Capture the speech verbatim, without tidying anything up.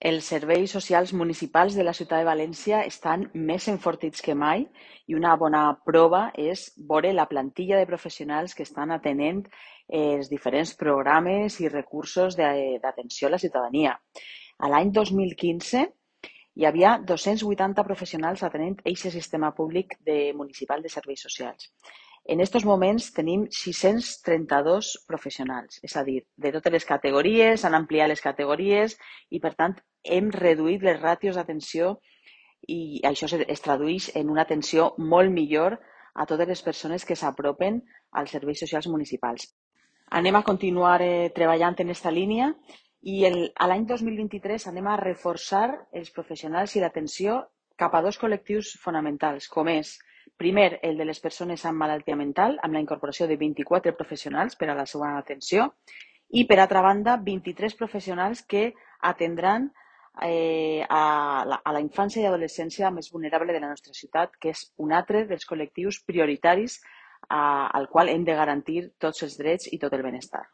Els serveis socials municipals de la ciutat de València estan més enfortits que mai i una bona prova és veure la plantilla de professionals que estan atenent els diferents programes i recursos d'atenció a la ciutadania. A l'any dos mil quinze hi havia dos-cents vuitanta professionals atenent aquest sistema públic de municipal de serveis socials. En aquests moments tenim sis-cents trenta-dos professionals, és a dir, de totes les categories, han ampliat les categories i, per tant, hem reduït les ràtios d'atenció i això es tradueix en una atenció molt millor a totes les persones que s'apropen als serveis socials municipals. Anem a continuar eh, treballant en aquesta línia i el, a l'any dos mil vint-i-tres anem a reforçar els professionals i l'atenció cap a dos col·lectius fonamentals, com és, primer, el de les persones amb malaltia mental, amb la incorporació de vint-i-quatre professionals per a la seva atenció, i, per altra banda, vint-i-tres professionals que atendran eh, a, la, a la infància i adolescència més vulnerable de la nostra ciutat, que és un altre dels col·lectius prioritaris a, al qual hem de garantir tots els drets i tot el benestar.